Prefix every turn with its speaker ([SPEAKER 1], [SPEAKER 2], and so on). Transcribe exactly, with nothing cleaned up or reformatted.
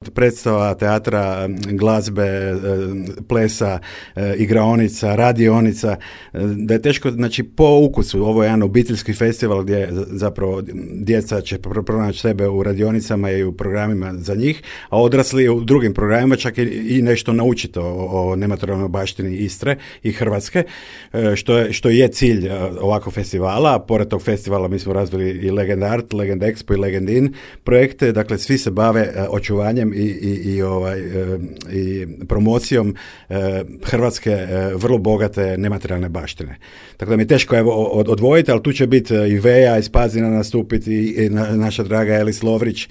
[SPEAKER 1] predstava, teatra, glazbe, plesa, igraonica, radionica, da je teško, znači po ukusu, ovo je jedan obiteljski festival gdje zapravo djeca će pronaći sebe u radionicama i u programima za njih, a odrasli u drugim programima čak i, i nešto naučiti o, o nematerijalnoj baštini Istre i Hrvatske, što je, što je cilj ovakvog festivala, a pored tog festivala mi smo razvili i Legend Art, Legend Expo i Legend In projekte, dakle svi se bave očuvanjem i, i, i, ovaj, i promocijom hrvatske vrlo bogate nematerijalne baštine. Tako da mi je teško evo, odvojiti, ali tu će biti i Veja iz Pazina nastupiti i na, naša draga Elis Lovrić